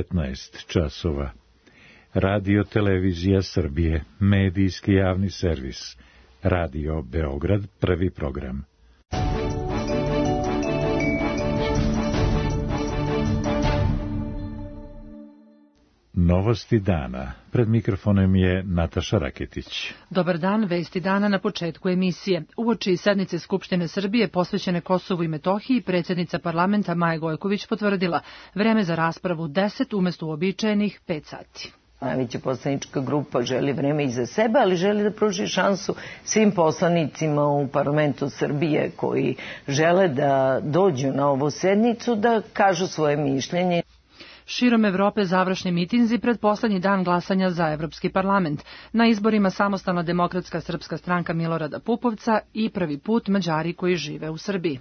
15 časova. Radio Televizija Srbije, medijski javni servis. Radio Beograd, prvi program. Novosti dana. Pred mikrofonom je Nataša Raketić. Dobar dan, vesti dana na početku emisije. Uoči sednice Skupštine Srbije posvećene Kosovu i Metohiji, predsjednica parlamenta Maja Gojković potvrdila vreme za raspravu 10 umjesto uobičajenih 5 sati. Najveća poslanička grupa želi vreme i za sebe, ali želi da pruži šansu svim poslanicima u parlamentu Srbije koji žele da dođu na ovu sednicu da kažu svoje mišljenje. Širom Evrope završni mitinzi pred poslednji dan glasanja za Evropski parlament. Na izborima Samostalna demokratska srpska stranka Milorada Pupovca i prvi put Mađari koji žive u Srbiji.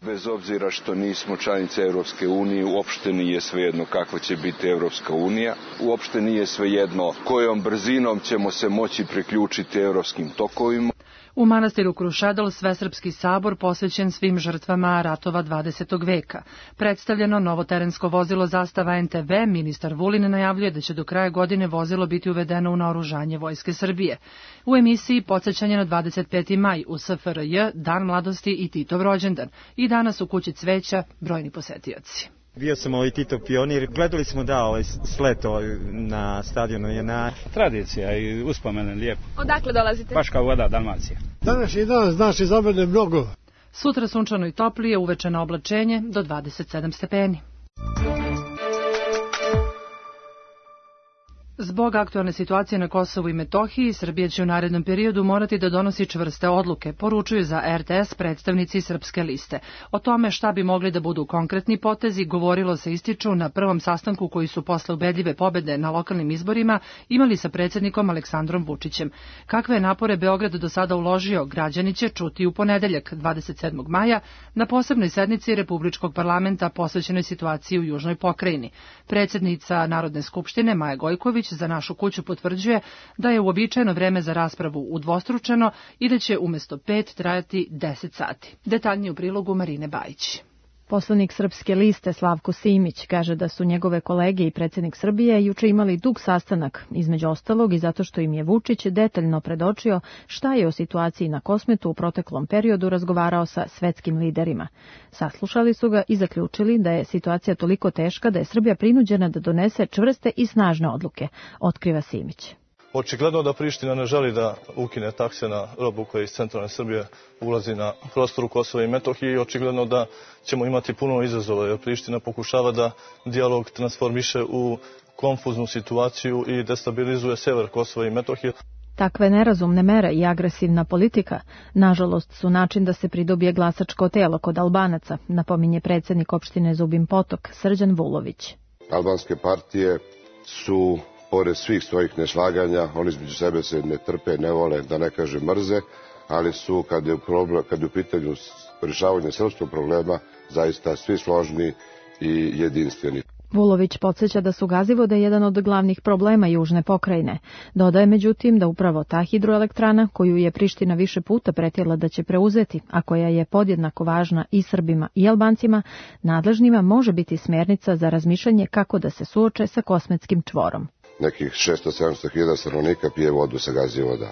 Bez obzira što nismo članice Evropske unije, uopšte nije svejedno kakva će biti Evropska unija. Uopšte nije svejedno kojom brzinom ćemo se moći priključiti evropskim tokovima. U manastiru Krušedol Svesrpski sabor posvećen svim žrtvama ratova 20. veka. Predstavljeno novo terensko vozilo Zastava NTV, ministar Vulin najavljuje da će do kraja godine vozilo biti uvedeno u naoružanje Vojske Srbije. U emisiji podsjećanje na 25. maj u SFRJ, Dan mladosti i Titov rođendan. I danas u kući cveća brojni posetioci. Bio sam Titov pionir, gledali smo slet na stadionu JNA. Tradicija i uspomene lijepo. Odakle dolazite? Baš kao voda, Dalmacija. Današnji dan znači za mene mnogo. Sutra sunčano i toplije, uvečeno oblačenje do 27 stepeni. Zbog aktualne situacije na Kosovu i Metohiji, Srbija će u narednom periodu morati da donosi čvrste odluke, poručuju za RTS predstavnici Srpske liste. O tome šta bi mogli da budu konkretni potezi govorilo se, ističu, na prvom sastanku koji su posle ubedljive pobede na lokalnim izborima imali sa predsjednikom Aleksandrom Vučićem. Kakve je napore Beograd do sada uložio, građani će čuti u ponedeljak, 27. maja, na posebnoj sednici Republičkog parlamenta posvećenoj situaciji u Južnoj pokrajini. Predsjednica Narodne skupštine Maja Gojković za našu kuću potvrđuje da je uobičajeno vreme za raspravu udvostručeno i da će umjesto 5 trajati 10 sati. Detaljnije u prilogu Marine Bajić. Poslanik Srpske liste Slavko Simić kaže da su njegove kolege i predsjednik Srbije juče imali dug sastanak, između ostalog i zato što im je Vučić detaljno predočio šta je o situaciji na Kosmetu u proteklom periodu razgovarao sa svetskim liderima. Saslušali su ga i zaključili da je situacija toliko teška da je Srbija prinuđena da donese čvrste i snažne odluke, otkriva Simić. Očigledno da Priština ne želi da ukine takse na robu koja iz centralne Srbije ulazi na prostoru Kosova i Metohije i očigledno da ćemo imati puno izazova jer Priština pokušava da dijalog transformiše u konfuznu situaciju i destabilizuje sever Kosova i Metohije. Takve nerazumne mere i agresivna politika, nažalost, su način da se pridobije glasačko telo kod Albanaca, napominje predsjednik opštine Zubin Potok, Srđan Vulović. Albanske partije su, pored svih svojih neslaganja, oni između sebe se ne trpe, ne vole, da ne kaže mrze, ali su, kad je u pitanju rješavanja srpskog problema, zaista svi složni i jedinstveni. Vulović podsjeća da su Gazivode jedan od glavnih problema Južne pokrajine. Dodaje međutim da upravo ta hidroelektrana, koju je Priština više puta pretila da će preuzeti, a koja je podjednako važna i Srbima i Albancima, nadležnima može biti smjernica za razmišljanje kako da se suoče sa Kosmetskim čvorom. Nekih 600-700 hiljada stanovnika pije vodu sa Gazivoda.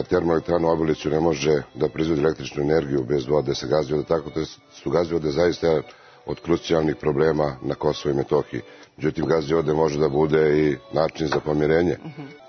Termoelektrana u Obiliću ne može da proizvodi električnu energiju bez vode sa Gazivoda, tako da su Gazivode zaista od krucijalnih problema na Kosovo i Metohiji. Međutim, Gazivode može da bude i način za pomirenje.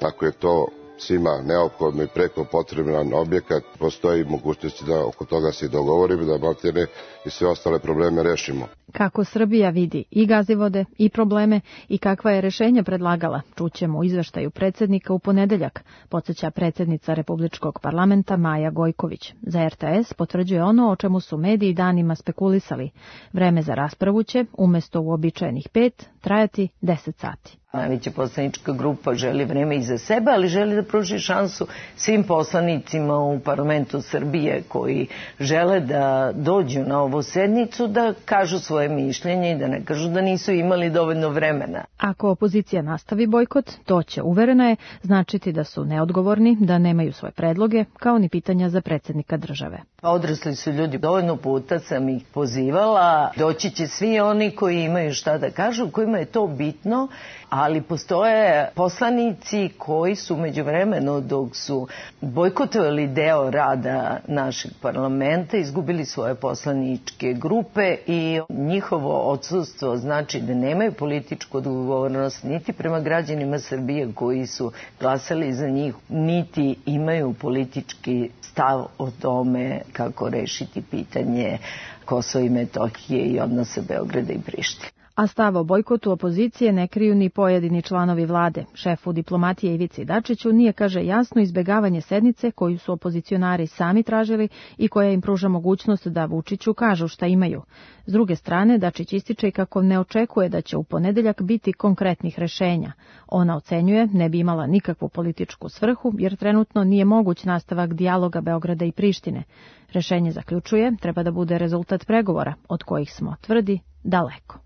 Ako je to svima neophodno i preko potreban objekat, postoji mogućnosti da oko toga se i dogovorimo, da maltene i sve ostale probleme rešimo. Kako Srbija vidi i Gazivode i probleme i kakva je rešenja predlagala, čućemo u izveštaju predsjednika u ponedeljak, podsjeća predsjednica Republičkog parlamenta Maja Gojković. Za RTS potvrđuje ono o čemu su mediji danima spekulisali. Vreme za raspravu će, umjesto uobičajenih 5, trajati 10 sati. Najveća poslanička grupa želi vreme i za sebe, ali želi da pruži šansu svim poslanicima u parlamentu Srbije koji žele da dođu na ovu sednicu da kažu svoje mišljenje i da ne kažu da nisu imali dovoljno vremena. Ako opozicija nastavi bojkot, to će, uverena je, značiti da su neodgovorni, da nemaju svoje predloge, kao ni pitanja za predsjednika države. Odrasli su ljudi, dovoljno puta sam ih pozivala, doći će svi oni koji imaju šta da kažu, koji nama je to bitno, ali postoje poslanici koji su međuvremeno dok su bojkotovali deo rada našeg parlamenta, izgubili svoje poslaničke grupe i njihovo odsustvo znači da nemaju političku odgovornost niti prema građanima Srbije koji su glasali za njih, niti imaju politički stav o tome kako rešiti pitanje Kosova i Metohije i odnose Beograda i Prištine. A stav o bojkotu opozicije ne kriju ni pojedini članovi vlade. Šefu diplomatije Ivici Dačiću nije, kaže, jasno izbegavanje sednice koju su opozicionari sami tražili i koja im pruža mogućnost da Vučiću kažu šta imaju. S druge strane, Dačić ističe i kako ne očekuje da će u ponedeljak biti konkretnih rešenja. Ona ocenjuje ne bi imala nikakvu političku svrhu jer trenutno nije moguć nastavak dijaloga Beograda i Prištine. Rešenje, zaključuje, treba da bude rezultat pregovora, od kojih smo, tvrdi, daleko.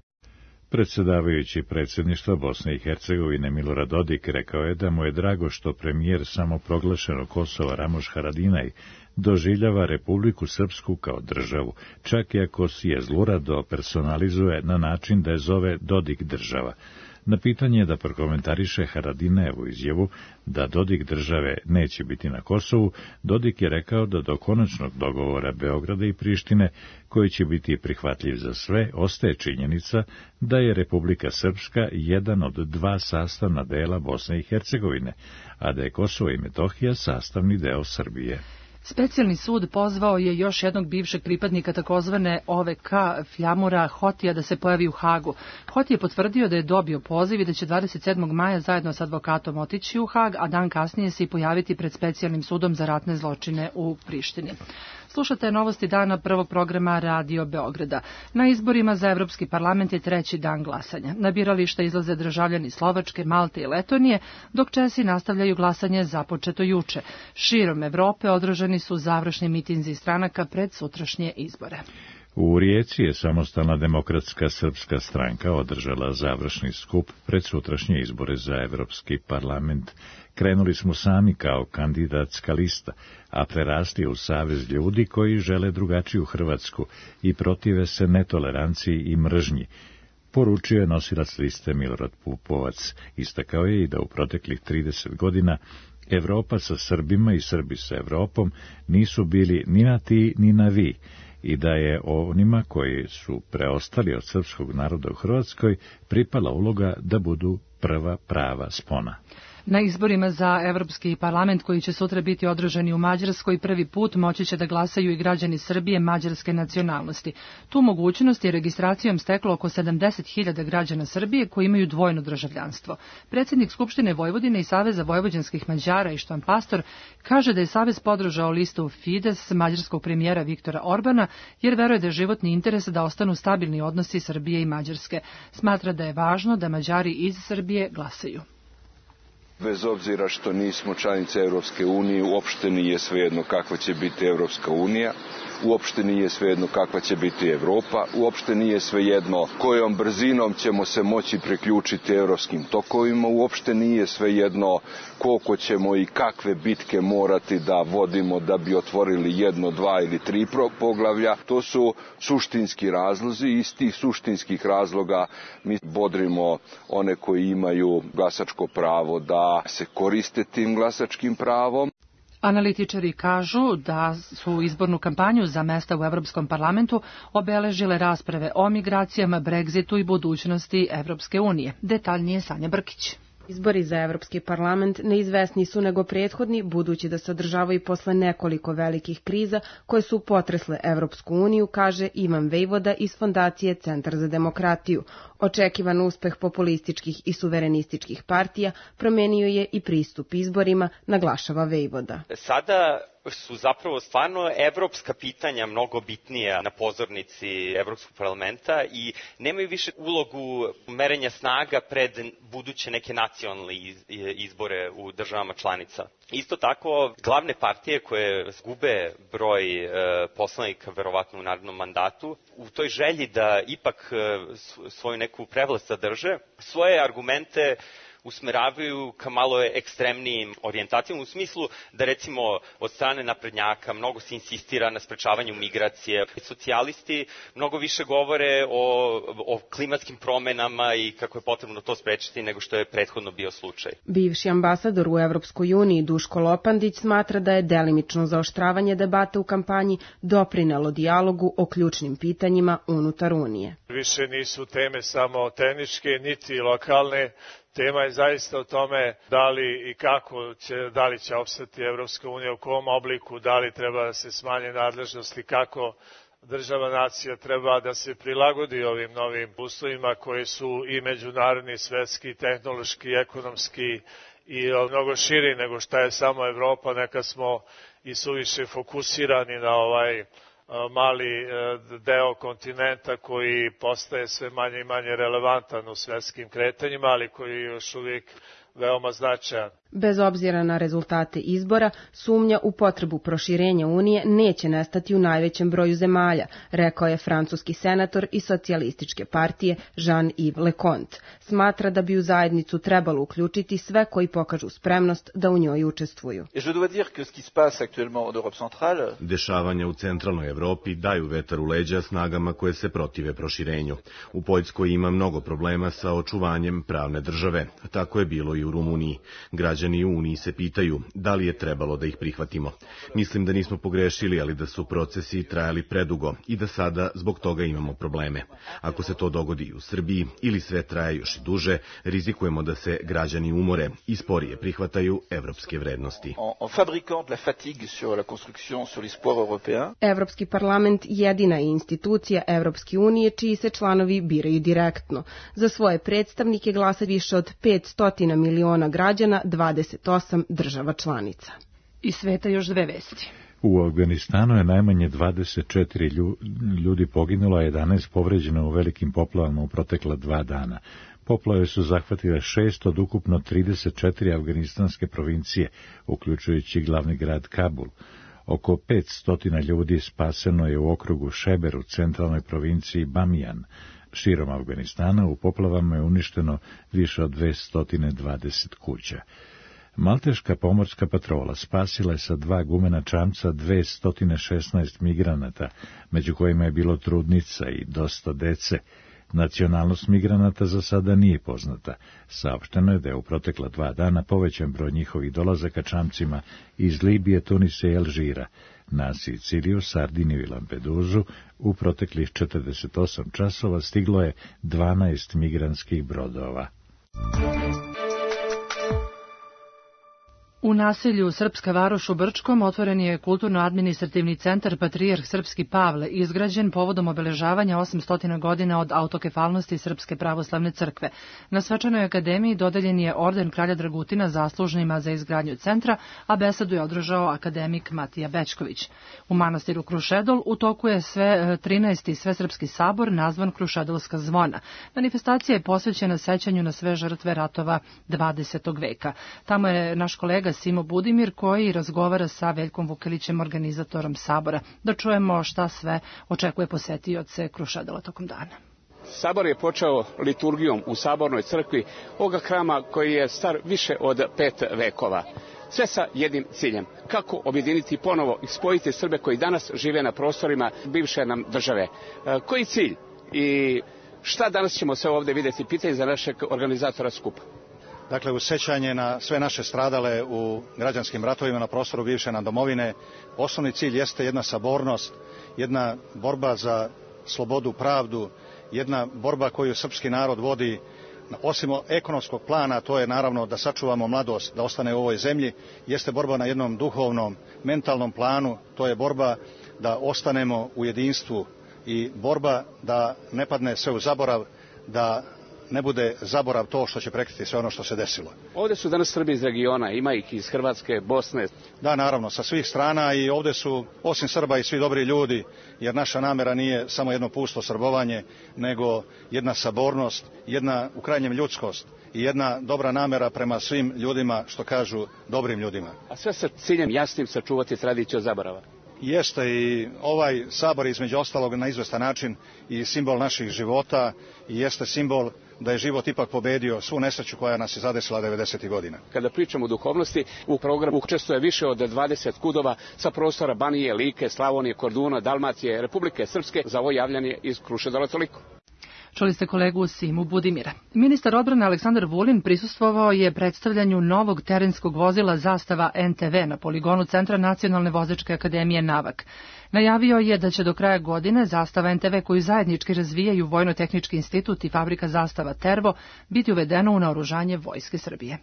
Predsjedavajući predsjedništva Bosne i Hercegovine Milorad Dodik rekao je da mu je drago što premijer samoproglašenog Kosova Ramoš Haradinaj doživljava Republiku Srpsku kao državu, čak i ako si je zlurado personalizuje na način da je zove Dodik država. Na pitanje da prokomentariše Haradinajevu izjavu da Dodik države neće biti na Kosovu, Dodik je rekao da do konačnog dogovora Beograda i Prištine, koji će biti prihvatljiv za sve, ostaje činjenica da je Republika Srpska jedan od dva sastavna dela Bosne i Hercegovine, a da je Kosovo i Metohija sastavni deo Srbije. Specijalni sud pozvao je još jednog bivšeg pripadnika takozvane OVK Fljamura Hotija da se pojavi u Hagu. Hoti je potvrdio da je dobio poziv i da će 27. maja zajedno s advokatom otići u Hag, a dan kasnije se i pojaviti pred Specijalnim sudom za ratne zločine u Prištini. Slušate novosti dana prvog programa Radio Beograda. Na izborima za Evropski parlament je treći dan glasanja. Na birališta izlaze državljani Slovačke, Malte i Letonije, dok Česi nastavljaju glasanje započeto juče. Širom Evrope održani su završni mitinzi stranaka pred sutrašnje izbore. U Rijeci je Samostalna demokratska srpska stranka održala završni skup pred sutrašnje izbore za Evropski parlament. Krenuli smo sami kao kandidatska lista, a prerasli u savez ljudi koji žele drugačiju Hrvatsku i protive se netoleranciji i mržnji, poručio je nosilac liste Milorad Pupovac. Istakao je i da u proteklih 30 godina Evropa sa Srbima i Srbi sa Evropom nisu bili ni na ti ni na vi, i da je onima koji su preostali od srpskog naroda u Hrvatskoj pripala uloga da budu prva prava spona. Na izborima za Evropski parlament koji će sutra biti održani u Mađarskoj prvi put moći će da glasaju i građani Srbije mađarske nacionalnosti. Tu mogućnost je registracijom steklo oko 70.000 građana Srbije koji imaju dvojno državljanstvo. Predsjednik Skupštine Vojvodine i Saveza vojvođanskih Mađara Ištvan Pastor kaže da je Savez podržao listu Fides mađarskog premijera Viktora Orbana jer veruje da je životni interes da ostanu stabilni odnosi Srbije i Mađarske. Smatra da je važno da Mađari iz Srbije glasaju. Bez obzira što nismo članice Europske unije, uopšte nije svejedno kakva će biti Europska unija, uopšte nije svejedno kakva će biti Evropa, uopšte nije svejedno kojom brzinom ćemo se moći priključiti europskim tokovima, uopšte nije svejedno koliko ćemo i kakve bitke morati da vodimo da bi otvorili 1, 2 ili 3 poglavlja. To su suštinski razlozi i iz tih suštinskih razloga mi bodrimo one koji imaju glasačko pravo da se koriste tim glasačkim pravom. Analitičari kažu da su izbornu kampanju za mesta u Evropskom parlamentu obeležile rasprave o migracijama, Brexitu i budućnosti Evropske unije. Detaljnije Sanja Brkić. Izbori za Evropski parlament neizvesni su nego prethodni, budući da se održavaju posle nekoliko velikih kriza koje su potresle Evropsku uniju, kaže Ivan Vejvoda iz Fondacije Centar za demokratiju. Očekivan uspeh populističkih i suverenističkih partija promenio je i pristup izborima, naglašava Vejvoda. Sada su zapravo stvarno evropska pitanja mnogo bitnija na pozornici Evropskog parlamenta i nemaju više ulogu merenja snaga pred buduće neke nacionalne izbore u državama članica. Isto tako, glavne partije koje gube broj poslanika verovatno u narednom mandatu, u toj želji da ipak svoju neku prevlast zadrže, svoje argumente usmeravaju ka malo ekstremnijim orijentacijama, u smislu da recimo od strane naprednjaka mnogo se insistira na sprečavanju migracije. Socijalisti mnogo više govore o klimatskim promenama i kako je potrebno to sprečiti nego što je prethodno bio slučaj. Bivši ambasador u Evropskoj uniji Duško Lopandić smatra da je delimično zaoštravanje debata u kampanji doprinelo dijalogu o ključnim pitanjima unutar Unije. Više nisu teme samo tehničke niti lokalne. Tema je zaista o tome da li i kako da li će opstati Evropska unija, u kom obliku, da li treba da se smanje nadležnosti, kako država nacija treba da se prilagodi ovim novim uslovima koji su i međunarodni, svetski, tehnološki, ekonomski i mnogo širi nego šta je samo Evropa. Nekad smo i suviše fokusirani na ovaj mali deo kontinenta koji postaje sve manje i manje relevantan u svetskim kretanjima, ali koji je još uvijek veoma značajan. Bez obzira na rezultate izbora, sumnja u potrebu proširenja Unije neće nestati u najvećem broju zemalja, rekao je francuski senator iz socijalističke partije Jean-Yves Leconte. Smatra da bi u zajednicu trebalo uključiti sve koji pokažu spremnost da u njoj učestvuju. Dešavanja u centralnoj Evropi daju vetar u leđa snagama koje se protive proširenju. U Poljskoj ima mnogo problema sa očuvanjem pravne države. Tako je bilo i u Rumuniji. Građani u Uniji se pitaju da li je trebalo da ih prihvatimo. Mislim da nismo pogrešili, ali da su procesi trajali predugo i da sada zbog toga imamo probleme. Ako se to dogodi u Srbiji ili sve traje još i duže, rizikujemo da se građani umore i sporije prihvataju evropske vrednosti. Evropski parlament jedina je institucija Evropske unije čiji se članovi biraju direktno. Za svoje predstavnike glasa više od 500 miliona građana 28 država članica. Iz sveta još dve vesti. U Afganistanu je najmanje 24 ljudi poginulo, a 11 povređeno u velikim poplavama u protekla 2 dana. Poplave su zahvatile 6 od ukupno 34 afganistanske provincije, uključujući glavni grad Kabul. Oko 500 ljudi spaseno je u okrugu Šeber u centralnoj provinciji Bamijan. Širom Afganistana u poplavama je uništeno više od 220 kuća. Malteška pomorska patrola spasila je sa 2 gumena čamca 216 migranata, među kojima je bilo trudnica i dosta dece. Nacionalnost migranata za sada nije poznata. Saopšteno je da je u protekla 2 dana povećan broj njihovih dolazaka čamcima iz Libije, Tunisa i Alžira. Na Siciliju, Sardiniju i Lampeduzu u proteklih 48 časova stiglo je 12 migrantskih brodova. U naselju Srpska varoš u Brčkom otvoren je kulturno-administrativni centar Patrijarh Srpski Pavle, izgrađen povodom obeležavanja 800 godina od autokefalnosti Srpske pravoslavne crkve. Na svečanoj akademiji dodeljen je orden kralja Dragutina zaslužnima za izgradnju centra, a besedu je održao akademik Matija Bečković. U manastiru Krušedol u toku je 13. Svesrpski sabor nazvan Krušedolska zvona. Manifestacija je posvećena sećanju na sve žrtve ratova 20. veka. Tamo je naš kolega Simo Budimir koji razgovara sa Veljkom Vukelićem, organizatorom sabora. Da čujemo šta sve očekuje posetioce Krušedola tokom dana. Sabor je počeo liturgijom u Sabornoj crkvi ovoga hrama koji je star više od 5 vekova. Sve sa jednim ciljem. Kako objediniti ponovo i spojiti Srbe koji danas žive na prostorima bivše nam države. Koji cilj i šta danas ćemo sve ovdje vidjeti? Pitanje za našeg organizatora skupa. Dakle, uz sećanje na sve naše stradale u građanskim ratovima na prostoru bivše nam domovine, osnovni cilj jeste jedna sabornost, jedna borba za slobodu, pravdu, jedna borba koju srpski narod vodi, osim ekonomskog plana, to je naravno da sačuvamo mladost, da ostane u ovoj zemlji, jeste borba na jednom duhovnom, mentalnom planu, to je borba da ostanemo u jedinstvu i borba da ne padne sve u zaborav, da ne bude zaborav to što će prekriti sve ono što se desilo. Ovdje su danas Srbi iz regiona, ima ih iz Hrvatske, Bosne. Da, naravno, sa svih strana i ovdje su, osim Srba, i svi dobri ljudi, jer naša namera nije samo jedno pusto srbovanje, nego jedna sabornost, jedna u krajnjem ljudskost i jedna dobra namera prema svim ljudima, što kažu dobrim ljudima. A sve sa ciljem jasnim sačuvati tradiciju zaborava. Jeste i ovaj sabor između ostalog na izvestan način i simbol naših života i jeste simbol da je život ipak pobedio svu nesreću koja nas je zadesila 90. godina. Kada pričamo o duhovnosti, u programu učestvuje više od 20 kudova sa prostora Banije, Like, Slavonije, Korduna, Dalmacije, Republike Srpske. Za ovo javljanje iz Kruševca toliko. Čuli ste kolegu Simu Budimira. Ministar odbrane Aleksandar Vulin prisustvovao je predstavljanju novog terenskog vozila Zastava NTV na poligonu Centra Nacionalne vozačke akademije Navak. Najavio je da će do kraja godine Zastava NTV koju zajednički razvijaju Vojno-tehnički institut i fabrika Zastava Tervo biti uvedeno u naoružanje Vojske Srbije.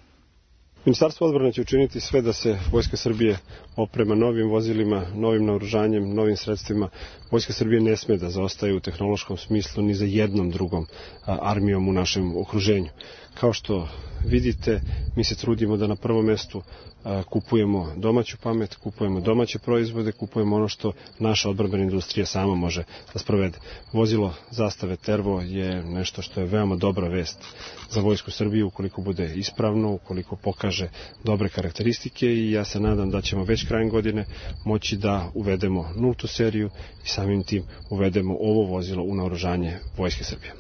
Ministarstvo odbrane će učiniti sve da se Vojska Srbije oprema novim vozilima, novim naoružanjem, novim sredstvima. Vojska Srbije ne sme da zaostaje u tehnološkom smislu ni za jednom drugom armijom u našem okruženju. Kao što vidite, mi se trudimo da na prvom mestu kupujemo domaću pamet, kupujemo domaće proizvode, kupujemo ono što naša odbrambena industrija sama može da sprovede. Vozilo Zastave Tervo je nešto što je veoma dobra vest za Vojsku Srbije ukoliko bude ispravno, ukoliko pokaže dobre karakteristike i ja se nadam da ćemo već krajem godine moći da uvedemo nultu seriju i samim tim uvedemo ovo vozilo u naoružanje Vojske Srbije.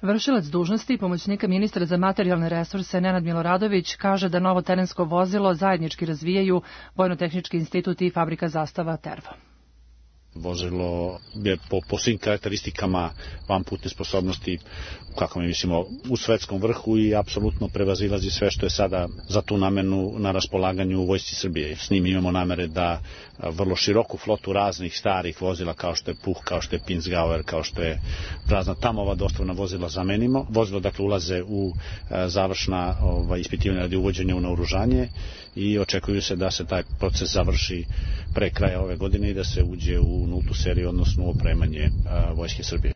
Vršilac dužnosti i pomoćnika ministra za materijalne resurse Nenad Miloradović kaže da novo terensko vozilo zajednički razvijaju Vojno-tehnički institut i fabrika Zastava Tervo. Vozilo je po svim karakteristikama vanputne sposobnosti, kako mi mislimo, u svetskom vrhu i apsolutno prevazilazi sve što je sada za tu namenu na raspolaganju u Vojsci Srbije. S njim imamo namere da vrlo široku flotu raznih starih vozila kao što je Puh, kao što je Pinzgauer, kao što je razna Tamova dostavna vozila zamenimo. Vozilo dakle ulaze u završna ispitivanja radi uvođenja u naoružanje i očekuju se da se taj proces završi pre kraja ove godine i da se uđe u nultu seriju, odnosno u opremanje Vojske Srbije.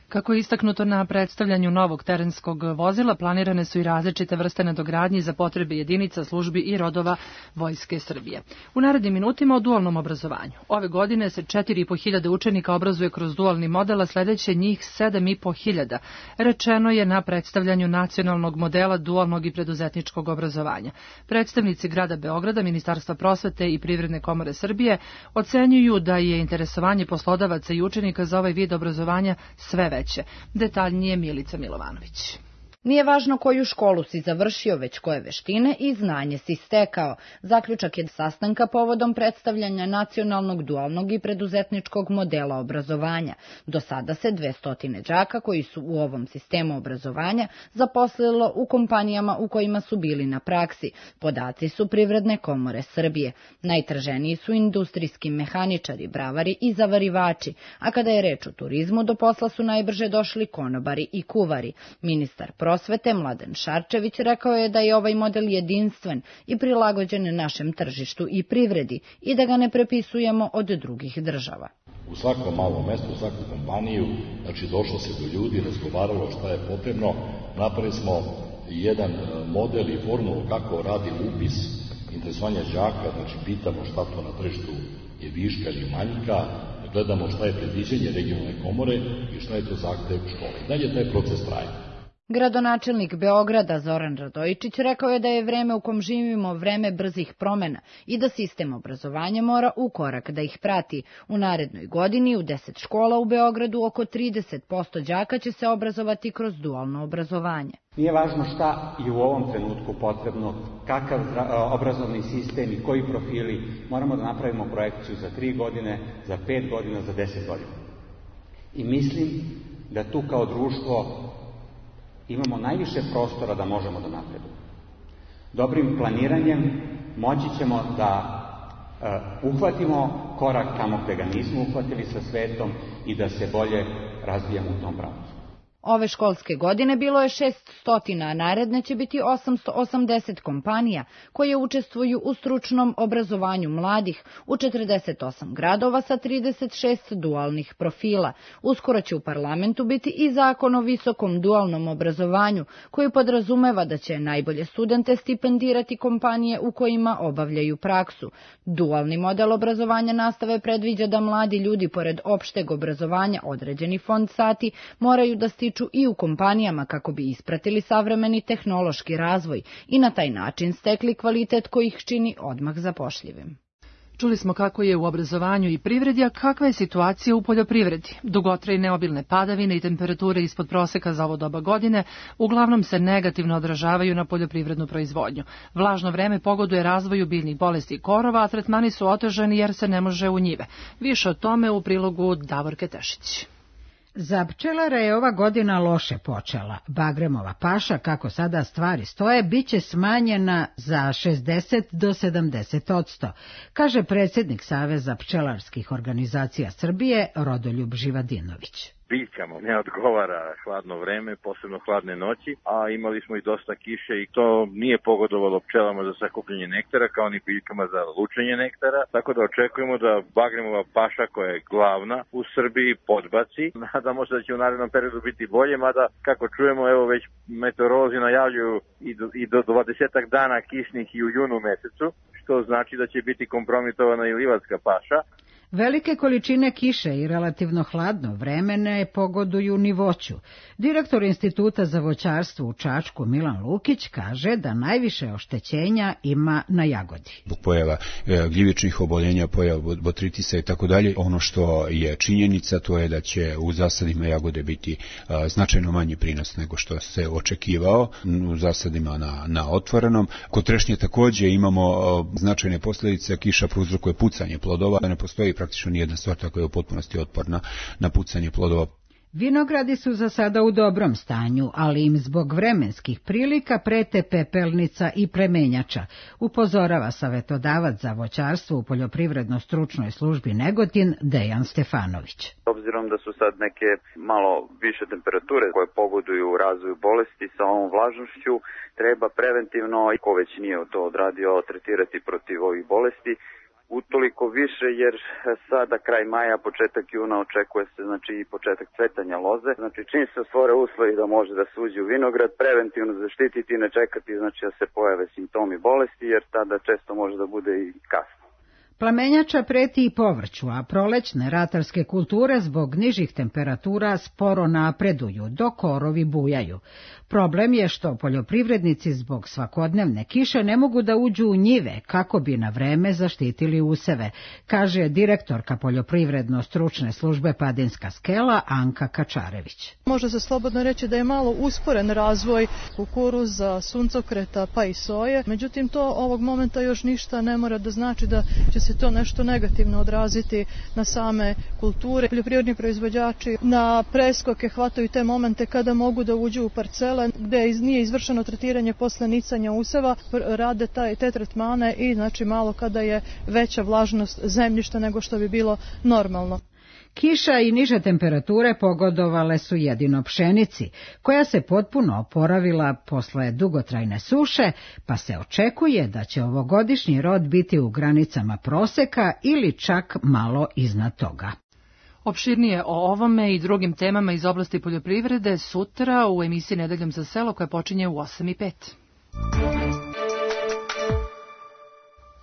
Kako je istaknuto na predstavljanju novog terenskog vozila, planirane su i različite vrste nadogradnji za potrebe jedinica, službi i rodova Vojske Srbije. U narednim minutima o dualnom obrazovanju. Ove godine se 4.500 učenika obrazuje kroz dualni model, a sledeće njih 7.500. Rečeno je na predstavljanju nacionalnog modela dualnog i preduzetničkog obrazovanja. Predstavnici grada Beograda, Ministarstva prosvete i Privredne komore Srbije ocenjuju da je interesovanje poslodavaca i učenika za ovaj vid obrazovanja sve veće. Detaljnije Milica Milovanović. Nije važno koju školu si završio, već koje veštine i znanje si stekao. Zaključak je sastanka povodom predstavljanja nacionalnog dualnog i preduzetničkog modela obrazovanja. Do sada se 200 đaka koji su u ovom sistemu obrazovanja zaposlilo u kompanijama u kojima su bili na praksi. Podaci su Privredne komore Srbije. Najtraženiji su industrijski mehaničari, bravari i zavarivači, a kada je reč o turizmu, do posla su najbrže došli konobari i kuvari. Ministar prosvete Mladen Šarčević rekao je da je ovaj model jedinstven i prilagođen našem tržištu i privredi i da ga ne prepisujemo od drugih država. U svakom malom mestu, u svaku kompaniju, znači došlo se do ljudi, razgovaralo šta je potrebno, napravili smo jedan model i formulu kako radi upis interesovanja đaka, znači pitamo šta to na tržištu je viška ili manjka, gledamo šta je predviđenje regionalne komore i šta je to zahtev škole. Dalje taj proces traje. Gradonačelnik Beograda Zoran Radojičić rekao je da je vreme u kom živimo vreme brzih promena i da sistem obrazovanja mora u korak da ih prati. U narednoj godini u 10 škola u Beogradu oko 30% đaka će se obrazovati kroz dualno obrazovanje. Nije važno šta je u ovom trenutku potrebno, kakav obrazovni sistem i koji profili. Moramo da napravimo projekciju za 3 godine, za 5 godina, za 10 godina. I mislim da tu kao društvo imamo najviše prostora da možemo da napredujemo. Dobrim planiranjem moći ćemo da uhvatimo korak tamo gde ga nismo uhvatili sa svetom i da se bolje razvijamo u tom pravcu. Ove školske godine bilo je 600, a naredne će biti 880 kompanija koje učestvuju u stručnom obrazovanju mladih u 48 gradova sa 36 dualnih profila. Uskoro će u parlamentu biti i zakon o visokom dualnom obrazovanju koji podrazumeva da će najbolje studente stipendirati kompanije u kojima obavljaju praksu. Dualni model obrazovanja nastave predviđa da mladi ljudi pored opšteg obrazovanja određeni fond sati moraju da stiču i u kompanijama kako bi ispratili savremeni tehnološki razvoj i na taj način stekli kvalitet koji ih čini odmah zapošljivim. Čuli smo kako je u obrazovanju i privredi, a kakva je situacija u poljoprivredi. Dugotrajne obilne padavine i temperature ispod proseka za ovo doba godine uglavnom se negativno odražavaju na poljoprivrednu proizvodnju. Vlažno vreme pogoduje razvoju biljnih bolesti i korova, a tretmani su otežani jer se ne može u njive. Više o tome u prilogu Davorke Tešić. Za pčelare je ova godina loše počela. Bagremova paša, kako sada stvari stoje, biće smanjena za 60 do 70%, kaže predsjednik Saveza pčelarskih organizacija Srbije Rodoljub Živadinović. Biljkama ne odgovara hladno vreme, posebno hladne noći, a imali smo i dosta kiše i to nije pogodovalo pčelama za sakupljanje nektara kao ni biljkama za lučenje nektara, tako da očekujemo da bagremova paša koja je glavna u Srbiji podbaci. Nadamo se da će u narednom periodu biti bolje, mada kako čujemo, evo već meteorolozi najavljuju i do 20 dana kišnih i u junu mesecu, što znači da će biti kompromitovana i livatska paša. Velike količine kiše i relativno hladno vreme ne pogoduju ni voću. Direktor Instituta za voćarstvo u Čačku Milan Lukić kaže da najviše oštećenja ima na jagodi. Zbog pojava gljivičnih oboljenja, pojava botritisa i tako dalje, ono što je činjenica to je da će u zasadima jagode biti značajno manji prinos nego što se očekivao u zasadima na otvorenom. Kod trešnje takođe imamo značajne posljedice, kiša prouzrokuje pucanje plodova, ne postoji praktično nijedna sorta koja je u potpunosti otporna na pucanje plodova. Vinogradi su za sada u dobrom stanju, ali im zbog vremenskih prilika prete pepelnica i premenjača, upozorava savetodavac za voćarstvo u poljoprivredno-stručnoj službi Negotin Dejan Stefanović. Obzirom da su sad neke malo više temperature koje pogoduju razvoju bolesti sa ovom vlažnošću, treba preventivno, ko već nije to odradio, tretirati protiv ovih bolesti. Utoliko više jer sada kraj maja, početak juna očekuje se i početak cvetanja loze. Čim se stvore uslovi da može da se uđe u vinograd, preventivno zaštititi i ne čekati da se pojave simptomi bolesti jer tada često može da bude i kasno. Plamenjača preti i povrću, a prolećne ratarske kulture zbog nižih temperatura sporo napreduju, dok korovi bujaju. Problem je što poljoprivrednici zbog svakodnevne kiše ne mogu da uđu u njive kako bi na vreme zaštitili useve, kaže direktorka poljoprivredno-stručne službe Padinska skela Anka Kačarević. Može se slobodno reći da je malo usporen razvoj kukuruza, suncokreta pa i soje, međutim to ovog momenta još ništa ne mora da znači da će se to nešto negativno odraziti na same kulture. Poljoprivredni proizvođači na preskoke hvataju te momente kada mogu da uđu u parcele gde nije izvršeno tretiranje posle nicanja useva, rade te tretmane i malo kada je veća vlažnost zemljišta nego što bi bilo normalno. Kiša i niže temperature pogodovale su jedino pšenici, koja se potpuno oporavila posle dugotrajne suše, pa se očekuje da će ovogodišnji rod biti u granicama proseka ili čak malo iznad toga. Opširnije o ovome i drugim temama iz oblasti poljoprivrede sutra u emisiji Nedeljom za selo koja počinje u 8:05.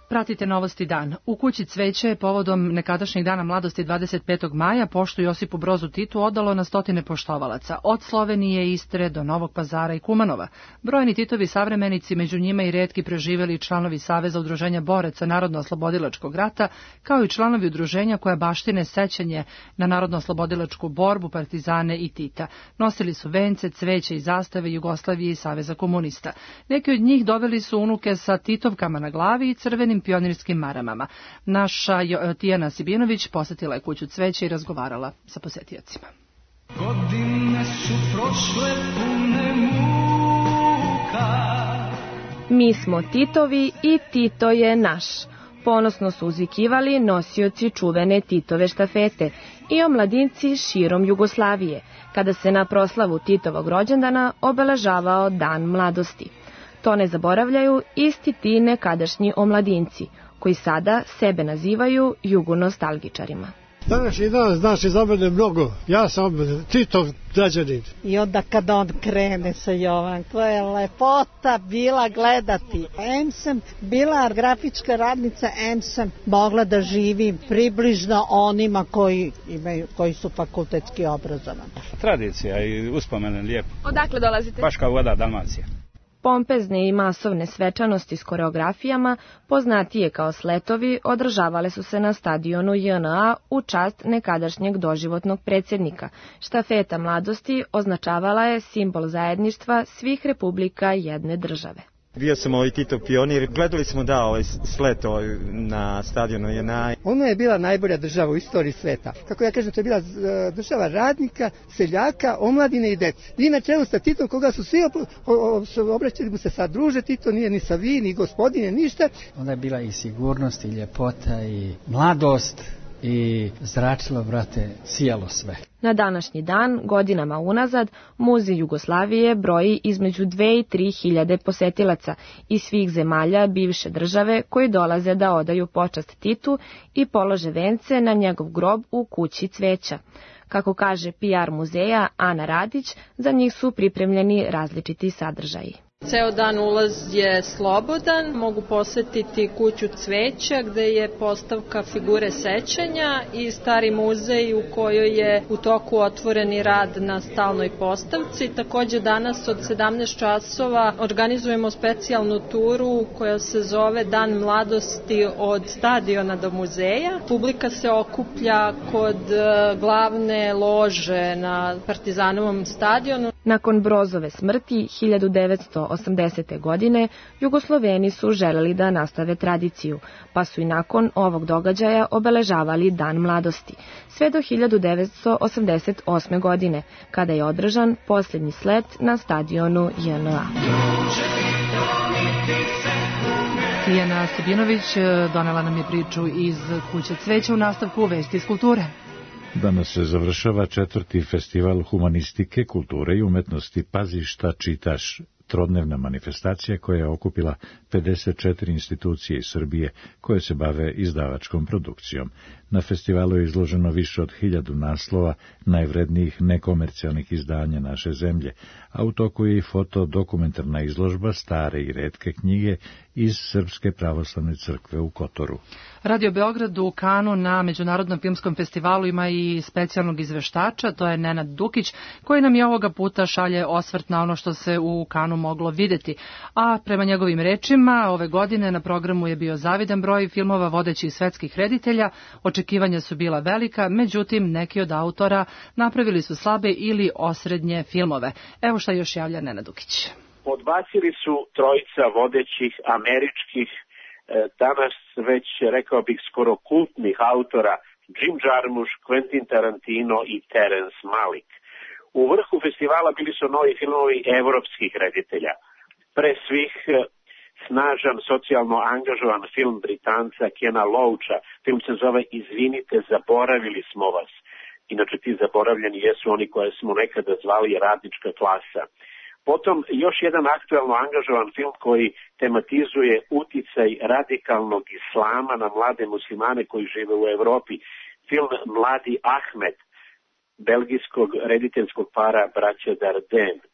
Pratite Novosti dan. U kući Cveće povodom nekadašnjeg dana mladosti 25. maja poštu Josipu Brozu Titu odalo na stotine poštovalaca, od Slovenije, Istre do Novog Pazara i Kumanova. Brojni Titovi savremenici, među njima i retki preživeli članovi Saveza udruženja boraca Narodno-oslobodilačkog rata, kao i članovi udruženja koja baštine sećanje na Narodno-oslobodilačku borbu, partizane i Tita. Nosili su vence, cveće i zastave Jugoslavije i Saveza komunista. Neki od njih doveli su unuke sa Titovkama na glavi i crvenim pionirskim maramama. Naša Tijana Sibinović posetila je kuću Cveće i razgovarala sa posetiocima. Godine su prošle pune muka. Mi smo Titovi i Tito je naš. Ponosno su uzvikivali nosioci čuvene Titove štafete i omladinci širom Jugoslavije, kada se na proslavu Titovog rođendana obeležavao Dan mladosti. To ne zaboravljaju isti ti nekadašnji omladinci, koji sada sebe nazivaju jugonostalgičarima. Današnji dan znači za mene mnogo. Ja sam Titov građanin. I onda kad on krene sa Jovan, to je lepota bila gledati. Em sam bila grafička radnica, em sam mogla da živim približno onima koji su fakultetski obrazovani. Tradicija i uspomene lijepo. Odakle dolazite? Baš kao voda Dalmacija. Pompezne i masovne svečanosti s koreografijama, poznatije kao sletovi, održavale su se na stadionu JNA u čast nekadašnjeg doživotnog predsjednika. Štafeta mladosti označavala je simbol zajedništva svih republika jedne države. Bio sam Titov pionir, gledali smo slet na stadionu JNA. Ono je bila najbolja država u istoriji sveta. Kako ja kažem, to je bila država radnika, seljaka, omladine i dece. I na čelu sa Titom, koga su svi obraćali mu se sa druže, Tito nije ni sa vi, ni gospodine, ništa. Onda je bila i sigurnost, i ljepota, i mladost, i zračilo, brate, sijalo sve. Na današnji dan, godinama unazad, Muzej Jugoslavije broji između 2 i 3 hiljade posetilaca iz svih zemalja bivše države koji dolaze da odaju počast Titu i polože vence na njegov grob u kući cveća. Kako kaže PR muzeja Ana Radić, za njih su pripremljeni različiti sadržaji. Ceo dan ulaz je slobodan, mogu posetiti kuću cveća gde je postavka figure sećanja i stari muzej u kojoj je u toku otvoreni rad na stalnoj postavci. Takođe danas od 17 časova organizujemo specijalnu turu koja se zove Dan mladosti od stadiona do muzeja. Publika se okuplja kod glavne lože na Partizanovom stadionu. Nakon Brozove smrti 1980. godine Jugosloveni su želeli da nastave tradiciju, pa su i nakon ovog događaja obeležavali Dan mladosti, sve do 1988. godine, kada je održan posljednji slet na stadionu JNA. Tijana Stebinović donela nam je priču iz kuće cveća u nastavku Vesti iz kulture. Danas se završava 4. festival humanistike, kulture i umetnosti Pazi šta čitaš, trodnevna manifestacija koja je okupila 54 institucije iz Srbije koje se bave izdavačkom produkcijom. Na festivalu je izloženo više od 1000 naslova najvrednijih nekomercijalnih izdanja naše zemlje, a u toku je i fotodokumentarna izložba stare i retke knjige iz Srpske pravoslavne crkve u Kotoru. Radio Beograd u Kanu na Međunarodnom filmskom festivalu ima i specijalnog izveštača, to je Nenad Dukić, koji nam je ovoga puta šalje osvrt na ono što se u Kanu moglo videti. A prema njegovim rečima, ove godine na programu je bio zavidan broj filmova vodećih svetskih reditelja, očekivanja su bila velika, međutim neki od autora napravili su slabe ili osrednje filmove. Evo šta još javlja Nenad Dukić. Podbacili su trojica vodećih američkih, danas već rekao bih skoro kultnih autora, Jim Jarmusch, Quentin Tarantino i Terence Malick. U vrhu festivala bili su novi filmovi evropskih reditelja. Pre svih snažan, socijalno angažovan film Britanca Kena Loacha. Film se zove Izvinite, zaboravili smo vas. Inače ti zaboravljeni jesu oni koje smo nekada zvali radnička klasa. Potom još jedan aktuelno angažovan film koji tematizuje uticaj radikalnog islama na mlade muslimane koji žive u Evropi. Film Mladi Ahmed, belgijskog rediteljskog para braća Dardenne.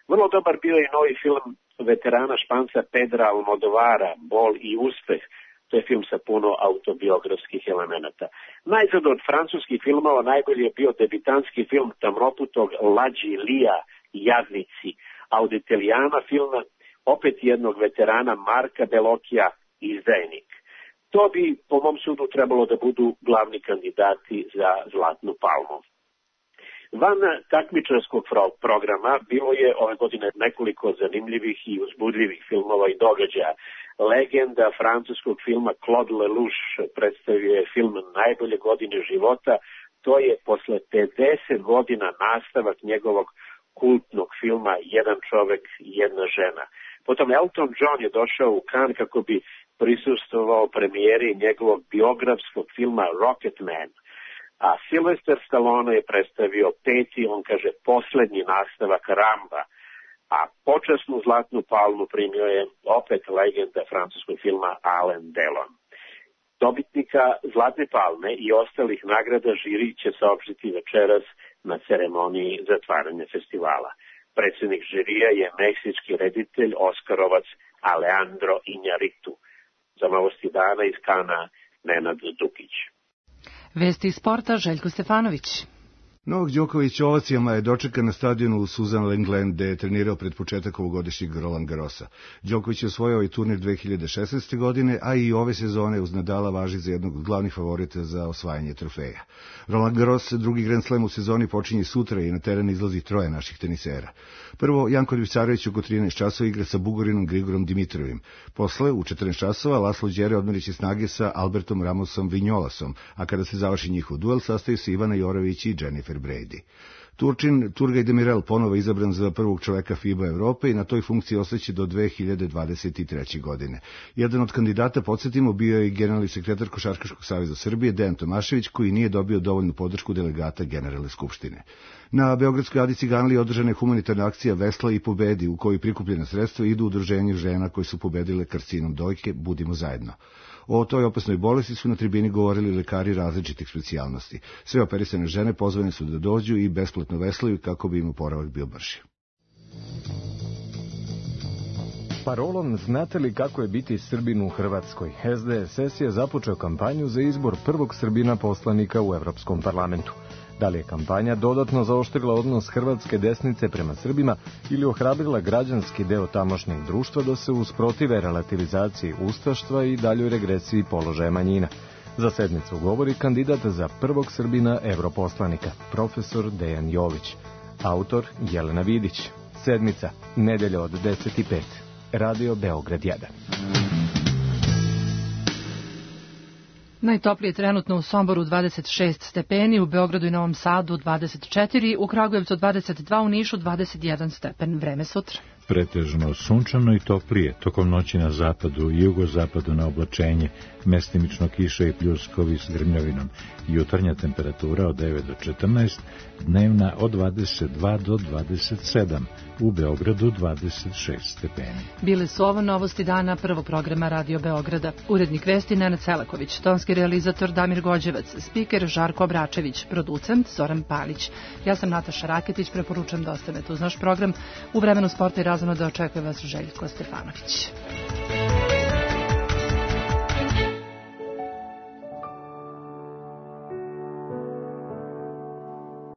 Vrlo dobar bio je novi film veterana Španca Pedra Almodovara, Bol i uspeh. To je film sa puno autobiografskih elemenata. Najzad od francuskih filmova najbolji je bio debitanski film tamnoputog Lađi Lija, Jadnici, a od Italijana filma opet jednog veterana Marka Bellocchia, Izdajnik. To bi, po mom sudu, trebalo da budu glavni kandidati za Zlatnu palmu. Van takmičarskog programa bilo je ove godine nekoliko zanimljivih i uzbudljivih filmova i događaja. Legenda francuskog filma Claude Lelouch predstavio je film Najbolje godine života. To je posle 50 godina nastavak njegovog kultnog filma Jedan čovek, jedna žena. Potom Elton John je došao u Cannes kako bi prisustvovao premijeri njegovog biografskog filma Rocketman. A Sylvester Stallone je predstavio 5. on kaže, poslednji nastavak Ramba. A počasnu Zlatnu palmu primio je opet legenda francuskog filma Alain Delon. Dobitnika Zlatne palme i ostalih nagrada žiri će saopštiti večeras na ceremoniji zatvaranja festivala. Predsjednik žirija je meksički reditelj, oskarovac Alejandro Iñárritu. Za Novosti dana iz Kana, Nenad Dukić. Vesti iz sporta, Željko Stefanović. Novak Đoković ovacijama je dočekan na stadionu u Suzan Lenglen, gde je trenirao pred početak ovogodišnjeg Roland Garrosa. Đoković je osvojio i turnir 2016. godine, a i ove sezone uz Nadala važi za jednog od glavnih favorita za osvajanje trofeja. Roland Garros, drugi Grand Slam u sezoni, počinje sutra i na teren izlazi troje naših tenisera. Prvo, Janko Ljubicarević oko 13 časova igra sa Bugarinom Grigorom Dimitrovim. Posle, u 14 časova, Laslo Đere odmeriće snage sa Albertom Ramosom Vinjolasom, a kada se završi njihov duel, sastaju se Ivana Jorović i Jennifer Brady. Turčin Turgaj Demirel ponovo izabran za prvog čoveka FIBA Evrope i na toj funkciji ostaće do 2023. godine. Jedan od kandidata, podsjetimo, bio je i generalni sekretar Košarkaškog saveza Srbije, Dejan Tomašević, koji nije dobio dovoljnu podršku delegata Generalne skupštine. Na Beogradskoj Adi Ciganliji održana je humanitarna akcija Vesla i pobedi, u kojoj prikupljena sredstva idu u udruženju žena koje su pobedile karcinom dojke Budimo zajedno. O toj opasnoj bolesti su na tribini govorili lekari različitih specijalnosti. Sve operisane žene pozvane su da dođu i besplatno veslaju kako bi im oporavak bio brži. Parolom "Znate li kako je biti Srbin u Hrvatskoj?" SDSS je započeo kampanju za izbor prvog Srbina poslanika u Evropskom parlamentu. Da li je kampanja dodatno zaoštrila odnos hrvatske desnice prema Srbima ili ohrabrila građanski deo tamošnjeg društva da se usprotive relativizaciji ustaštva i daljoj regresiji položaja manjina? Za sedmicu govori kandidat za prvog Srbina europoslanika, profesor Dejan Jović. Autor Jelena Vidić. Sedmica, nedelja od 10:05. Radio Beograd 1. Najtoplije trenutno u Somboru 26 stepeni, u Beogradu i Novom Sadu 24, u Kragujevcu 22, u Nišu 21 stepen. Vreme sutra. Pretežno sunčano i toplije, tokom noći na zapadu i jugozapadu na oblačenje, mestimično kiša i pljuskovi s grmljavinom. Jutarnja temperatura od 9 do 14, dnevna od 22 do 27, u Beogradu 26 stepeni. Bile su ovo novosti dana prvog programa Radio Beograda. Urednik vesti Nenad Selaković, tonski realizator Damir Gođevac, spiker Žarko Obračević, producent Zoran Palić. Ja sam Nataša Raketić, preporučam da ostanete uz naš program. U vremenu sporta i razvoja da očekuje vas Željko Stefanović.